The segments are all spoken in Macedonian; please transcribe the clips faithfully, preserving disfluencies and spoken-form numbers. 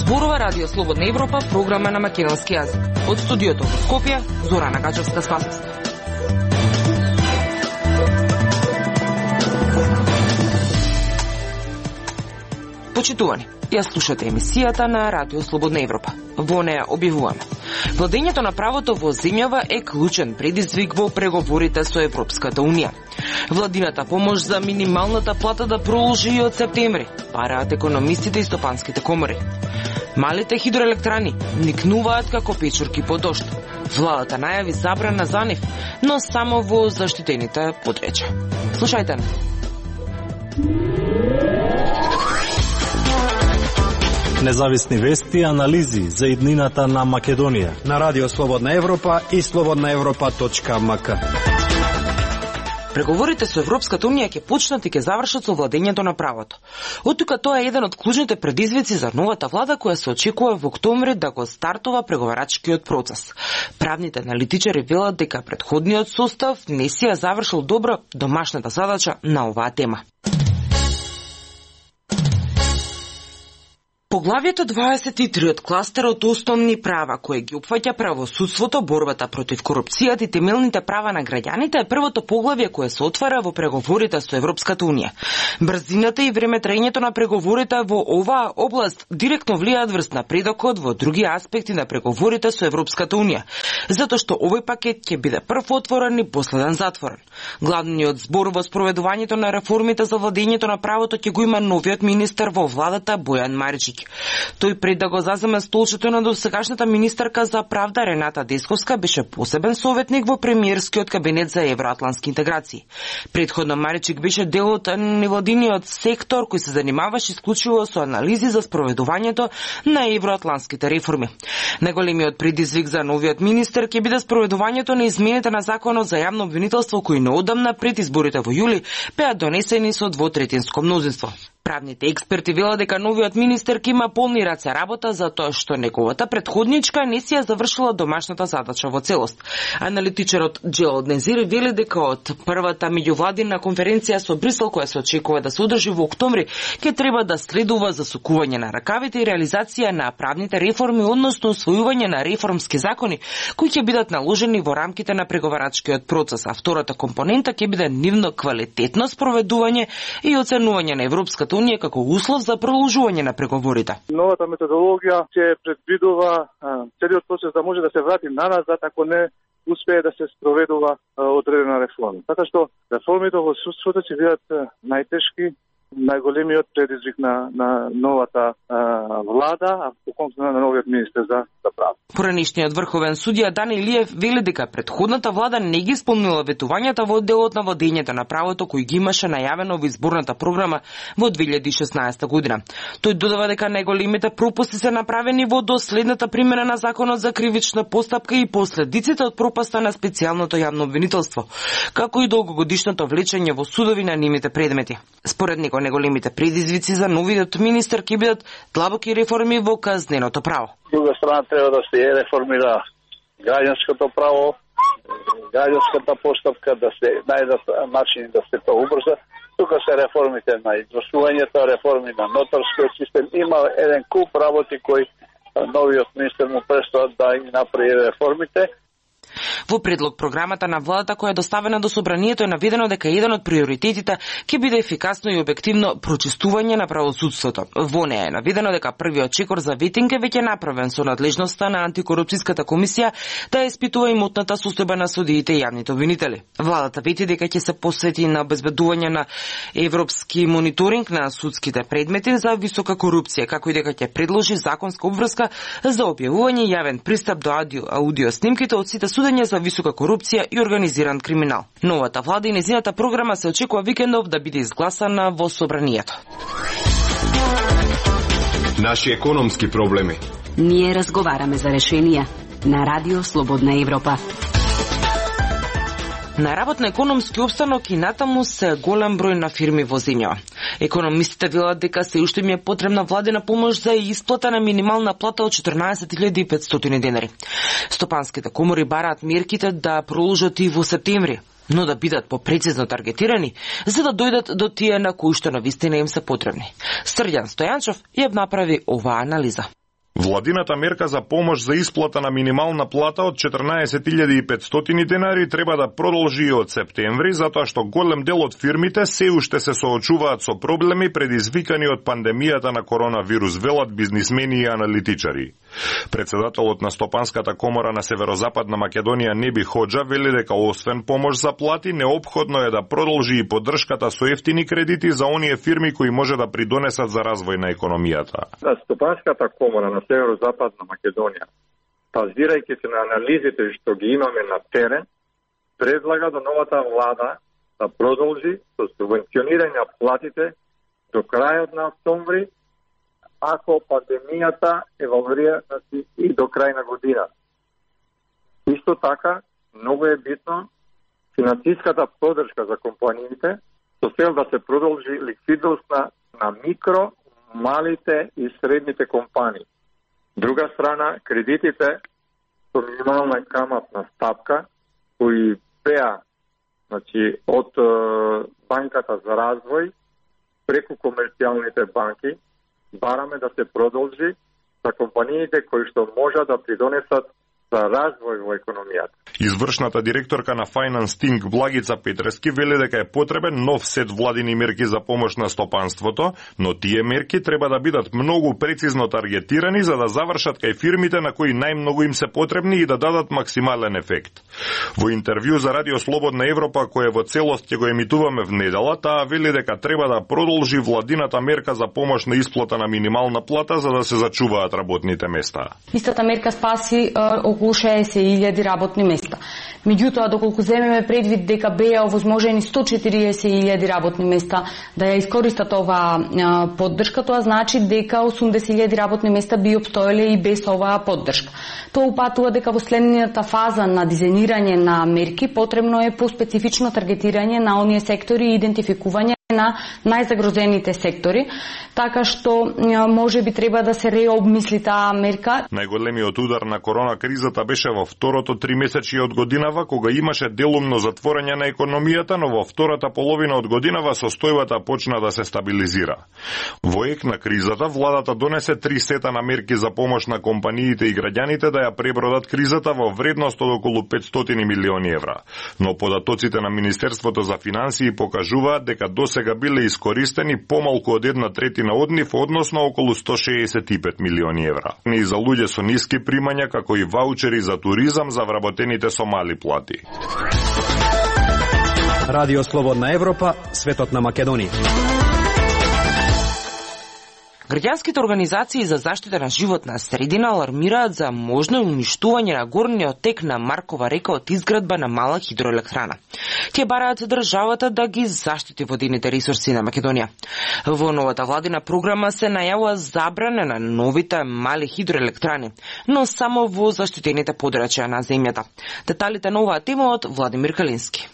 Зборува Радио Слободна Европа, програма на македонски јазик. Од студиото во Скопје, Зорана Гачевска-Спасовска. Почитувани, ја слушате емисијата на Радио Слободна Европа. Во неја објавуваме: владењето на правото во земјава е клучен предизвик во преговорите со Европската Унија. Владината помош за минималната плата да продолжи и од септември, бараат економистите и стопанските комори. Малите хидроелектрани никнуваат како печурки по дожд. Владата најави забрана за нив, но само во заштитените подречја. Слушајте на. Независни вести и анализи за иднината на Македонија на Радио Слободна Европа и слободна европа точка ем ка. Преговорите со Европската Унија ќе почнат и ќе завршат со владењето на правото. Оттука тоа е еден од клучните предизвици за новата влада која се очекува во октомври да го стартува преговарачкиот процес. Правните аналитичари велат дека претходниот состав не си ја завршил добро домашната задача на оваа тема. Поглавието дваесет и три од кластерот основни права, кој ги опфаќа правосудството, борбата против корупцијата и темелните права на граѓаните, е првото поглавје кое се отвара во преговорите со Европската Унија. Брзината и времетраењето на преговорите во оваа област директно влијаат врз напредокот во други аспекти на преговорите со Европската Унија, затоа што овој пакет ќе биде прв отворен и последен затворен. Главниот збор во спроведувањето на реформите за владењето на правото ќе го има новиот министер во владата Бојан Маричик. Тој пред да го заземе столчето на досегашната министерка за правда Рената Десковска беше посебен советник во премиерскиот кабинет за евроатлантски интеграции. Предходно Маричик беше дел од невладиниот сектор кој се занимаваше исклучиво со анализи за спроведувањето на евроатлантските реформи. Најголемиот предизвик за новиот министер ќе биде спроведувањето на измените на законот за јавно обвинителство кои неодамна пред изборите во јули беа донесени со двотретинско мнозинство. Правните експерти велат дека новиот министер ќе има полни раце работа затоа што неговата претходничка не си ја завршила домашната задача во целост. Аналитичарот Джелод Незир вели дека од првата меѓувладина конференција со Брисел која се очекува да се одржи во октомври ќе треба да следува засукување на ракавите и реализација на правните реформи, односно усвојување на реформски закони кои ќе бидат наложени во рамките на преговарачкиот процес, а втората компонента ќе биде нивно квалитетно спроведување и оценување на Европската Унија како услов за продолжување на преговорите. Новата методологија ќе предвидува целиот процес да може да се врати наназад ако не успее да се спроведува одредена реформа. Така што реформите во судството ќе бидат најтешки, најголемиот предизвик на, на новата а, влада, а поконкретно на новиот министер за, за право. Поранишниот врховен судија Дани Илиев вели дека претходната влада не ги исполнила ветувањата во делот на владењето на правото кој ги имаше најавено во изборната програма во две илјади и шеснаесета година. Тој додава дека најголемите пропусти се направени во доследната примена на законот за кривична постапка и последиците од пропаста на специјалното јавно обвинителство, како и долгогодишното влечење во судови на нивните предмети. Според него неголемите предизвици за новиот министер ќе бидат длабоки реформи во казненото право. Друга страна треба да се реформира граѓанското право, граѓанската постапка, да се најдат начини да се тоа убрза. Тука се реформите на извршувањето, реформи на нотарскиот систем. Има еден куп работи кои новиот министер му престоат да ги направи реформите. Во предлог програмата на владата која е доставена до собранието е наведено дека еден од приоритетите ќе биде ефикасно и објективно прочистување на правосудството. Во неја е наведено дека првиот чекор за ветинг е веќе направен со надлежноста на антикорупцијската комисија да испитува имотната состојба на судиите и јавните обвинители. Владата вети дека ќе се посвети на обезбедување на европски мониторинг на судските предмети за висока корупција, како и дека ќе предложи законска обврска за објавување јавен пристап до аудио, аудио снимките од сите судење за висока корупција и организиран криминал. Новата влада и нејзината програма се очекува викендов да биде изгласана во собранието. Наши економски проблеми. Ние разговараме за решенија на Радио Слободна Европа. На работно економски обстанок и натаму се голем број на фирми во земјава. Економистите велат дека се уште ми е потребна владина помош за исплата на минимална плата од четрнаесет илјади и петстотини денари. Стопанските комори бараат мерките да продолжат и во септември, но да бидат попрецизно таргетирани, за да дојдат до тие на кои што навистина им се потребни. Срđan Стојанчов ја направи оваа анализа. Владината мерка за помош за исплата на минимална плата од четрнаесет илјади и петстотини денари треба да продолжи и од септември, затоа што голем дел од фирмите се уште се соочуваат со проблеми предизвикани од пандемијата на коронавирус, велат бизнисмени и аналитичари. Председателот на Стопанската комора на Северозападна Македонија Неби Ходжа вели дека освен помош за плати, неопходно е да продолжи и поддршката со ефтини кредити за оние фирми кои може да придонесат за развој на економијата. На Стопанската комора на Северозападна Македонија, базирајќи се на анализите што ги имаме на терен, предлага до новата влада да продолжи со субвенционирање на платите до крајот на октомври, ако пандемијата еволуира и до крај на година. Исто така, многу е битно финансиската поддршка за компаниите со цел да се продолжи ликвидност на, на микро, малите и средните компании. Друга страна, кредитите со минимална каматна стапка кои беа, значи, од е, банката за развој преку комерцијалните банки, бараме да се продолжи за компаниите кои што можат да придонесат за развој во економијата. Извршната директорка на Finance Think Благица Петрески вели дека е потребен нов сет владини мерки за помош на стопанството, но тие мерки треба да бидат многу прецизно таргетирани за да завршат кај фирмите на кои најмногу им се потребни и да дадат максимален ефект. Во интервју за Радио Слободна Европа, кое во целост ќе го емитуваме в недела, таа вели дека треба да продолжи владината мерка за помош на исплата на минимална плата за да се зачуваат работните места. Истата мерка спаси околу шеесет илјади работни места. Меѓутоа, доколку земеме предвид дека беа овозможени сто четириесет илјади работни места да ја искористат оваа поддршка, тоа значи дека осумдесет илјади работни места би опстоеле и без оваа поддршка. Тоа упатува дека во следната фаза на дизајнирање на мерки потребно е по-специфично таргетирање на оние сектори и идентификување на најзагрозените сектори, така што може би треба да се реобмисли таа мерка. Најголемиот удар на корона кризата беше во второто тримесечје од годинава, кога имаше делумно затворање на економијата, но во втората половина од годинава состојбата почна да се стабилизира. Во ек на кризата, владата донесе три сета на мерки за помош на компаниите и граѓаните да ја пребродат кризата во вредност од околу петстотини милиони евра. Но податоците на Министерството за финансии покажуваат дека досега биле искористени помалку од една третина од нив, односно околу сто шеесет и пет милиони евра. И за луѓе со ниски примања, како и ваучери за туризам за вработените со мали плати. Радио Слободна Европа, светот на Македонија. Граѓанските организации за заштита на животна средина алармираат за можно уништување на горниот тек на Маркова река од изградба на мала хидроелектрана. Тие бараат државата да ги заштити водените ресурси на Македонија. Во новата владина програма се најавува забрана на новите мали хидроелектрани, но само во заштитените подрачја на земјата. Деталите на оваа тема од Владимир Калински.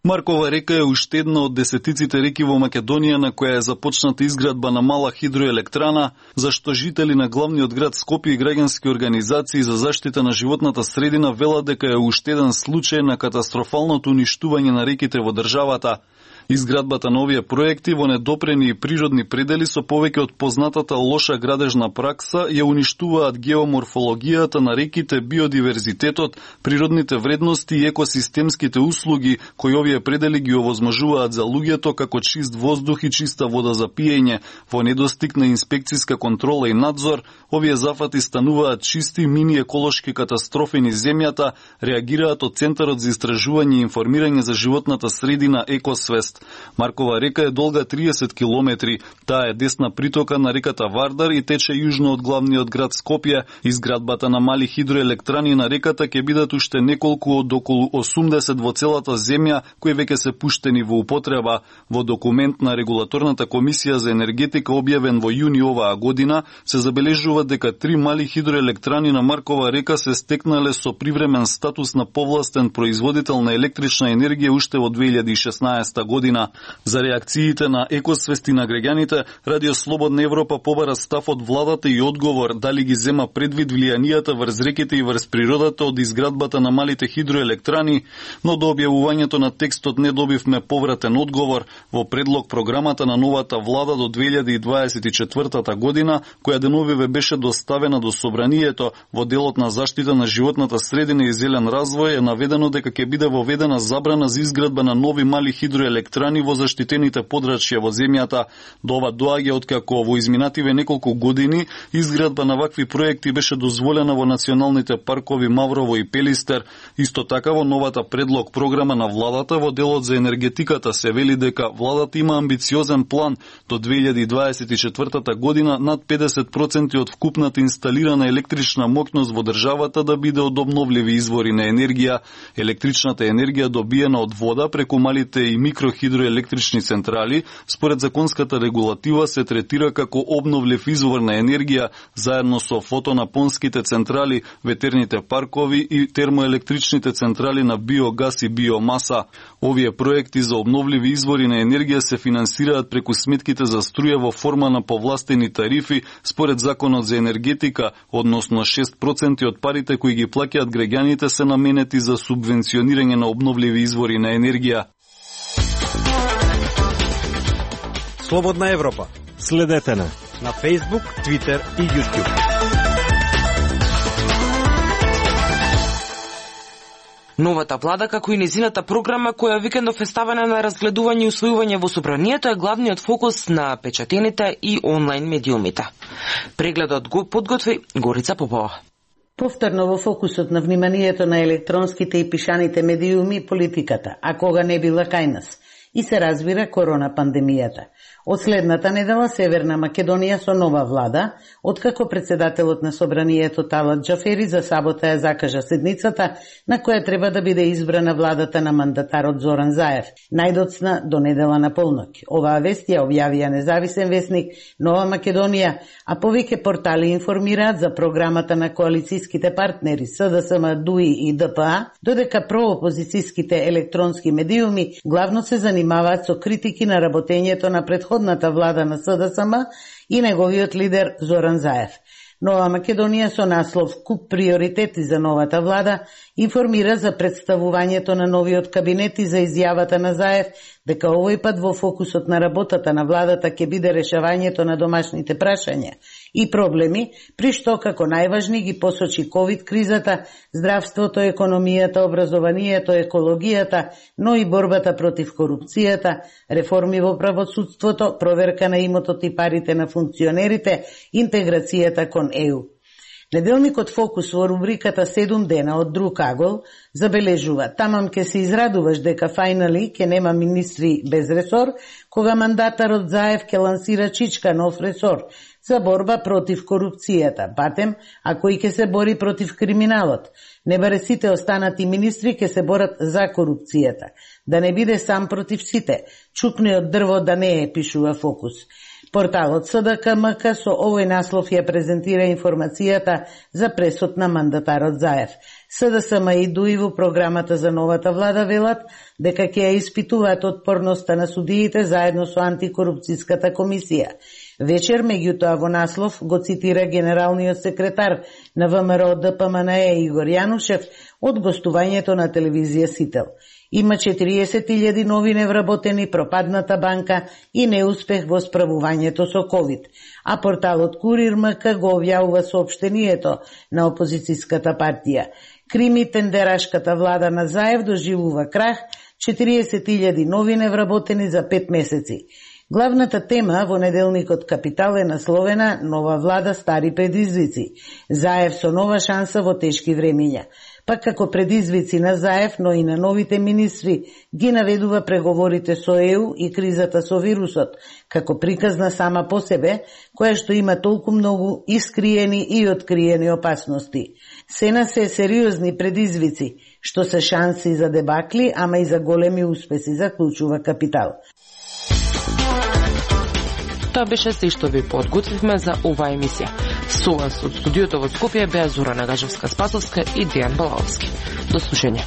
Маркова река е уште една од десетиците реки во Македонија на која е започната изградба на мала хидроелектрана, зашто жители на главниот град Скопје и граѓански организации за заштита на животната средина велат дека е уште еден случај на катастрофалното уништување на реките во државата. Изградбата на овие проекти во недопрени и природни предели со повеќе од познатата лоша градежна пракса ја уништуваат геоморфологијата на реките, биодиверзитетот, природните вредности и екосистемските услуги кои овие предели ги овозможуваат за луѓето, како чист воздух и чиста вода за пиење. Во недостиг на инспекциска контрола и надзор, овие зафати стануваат чисти мини еколошки катастрофи низ земјата, реагираат од Центарот за истражување и информирање за животната средина Екосвест. Маркова река е долга триесет километри. Таа е десна притока на реката Вардар и тече јужно од главниот град Скопје. Изградбата на мали хидроелектрани на реката ќе бидат уште неколку од околу осумдесет во целата земја, кои веќе се пуштени во употреба. Во документ на Регулаторната комисија за енергетика објавен во јуни оваа година, се забележува дека три мали хидроелектрани на Маркова река се стекнале со привремен статус на повластен производител на електрична енергија уште во две илјади и шеснаесета година. година. За реакциите на екосвести на граѓаните, Радио Слободна Европа побара став од владата и одговор дали ги зема предвид влијанијата врз реките и врз природата од изградбата на малите хидроелектрани, но до објавувањето на текстот не добивме повратен одговор во предлог програмата на новата влада до две илјади и дваесет и четвртата година, која деновиве беше доставена до собранието. Во делот на заштита на животната средина и зелен развој е наведено дека ќе биде воведена забрана за изградба на нови мали хидроелектрани во заштитените подрачја во земјата. До ова доаѓа откако во изминативе неколку години изградба на вакви проекти беше дозволена во националните паркови Маврово и Пелистер. Исто така во новата предлог програма на владата во делот за енергетиката се вели дека владата има амбициозен план до две илјади и дваесет и четвртата година над педесет проценти од вкупната инсталирана електрична моќност во државата да биде од обновливи извори на енергија. Електричната енергија добиена од вода преку малите и микрохидроелектрични централи, според законската регулатива се третира како обновлив извор на енергија заедно со фотонапонските централи, ветерните паркови и термоелектричните централи на биогас и биомаса. Овие проекти за обновливи извори на енергија се финансираат преку сметките за струја во форма на повластени тарифи според Законот за енергетика, односно шест проценти од парите кои ги плаќаат граѓаните се наменети за субвенционирање на обновливи извори на енергија. Слободна Европа. Следете на на Facebook, Twitter и YouTube. Новата влада, како и незината програма, која викендов е ставена на разгледување и усвојување во собранието, е главниот фокус на печатените и онлайн медиумите. Прегледот го подготви Горица Попова. Повторно во фокусот на вниманието на електронските и пишаните медиуми политиката, а кога не била кај нас, и се разбира корона пандемијата. Од следната недела Северна Македонија со нова влада, откако председателот на собранието Талат Џафери за сабота ја закажа седницата на која треба да биде избрана владата на мандатарот Зоран Заев, најдоцна до недела на полноќ. Оваа вест ја објавија независен весник Нова Македонија, а повеќе портали информираат за програмата на коалицијските партнери СДСМ, ДУИ и ДПА, додека проопозицијските електронски медиуми главно се занимаваат со критики на работењето на предходната влада на СДСМ и неговиот лидер Зоран Заев. Нова Македонија со наслов "Куп приоритети за новата влада" информира за представувањето на новиот кабинет и за изјавата на Заев дека овој пат во фокусот на работата на владата ќе биде решавањето на домашните прашања и проблеми, при што како најважни ги посочи ковид кризата, здравството, економијата, образованието, екологијата, но и борбата против корупцијата, реформи во правосудството, проверка на имотот и парите на функционерите, интеграцијата кон ЕУ. Неделникот Фокус во рубриката седум дена од друг агол забележува: тамам ке се израдуваш дека фајнали ке нема министри без ресор, кога мандатарот Заев ке лансира чичка нов ресор за борба против корупцијата, батем, а кој ке се бори против криминалот. Не баре сите останати министри ке се борат за корупцијата. Да не биде сам против сите. Чукне од дрво да не е, пишува Фокус. Порталот СДКМК со овој наслов ја презентира информацијата за пресод на мандатарот Заев. СДСМ и ДУИ во програмата за новата влада велат дека ќе ја испитуваат отпорноста на судиите заедно со антикорупцијската комисија. Вечер, меѓутоа, во наслов го цитира генералниот секретар на ВМРО ДПМНЕ Игор Јанушев од гостувањето на телевизија Сител. Има четириесет илјади нови невработени, пропадната банка и неуспех во справувањето со ковид. А порталот Курир МК го објавува соопштението на опозицијската партија. Крими тендерашката влада на Заев доживува крах, четириесет илјади нови невработени за пет месеци. Главната тема во неделникот Капитал е насловена "Нова влада, стари предизвици". Заев со нова шанса во тешки времиња. Пак како предизвици на Заев, но и на новите министри, ги наведува преговорите со ЕУ и кризата со вирусот, како приказна сама по себе, која што има толку многу искриени и откриени опасности. Сена се сериозни предизвици, што се шанси за дебакли, ама и за големи успеси, заклучува Капитал. Тоа беше се што ви подготвивме за оваа емисија. Со вас од студиото во Скопје беа Зора Нагажевска-Спасовска и Дијан Балаовски. До слушање.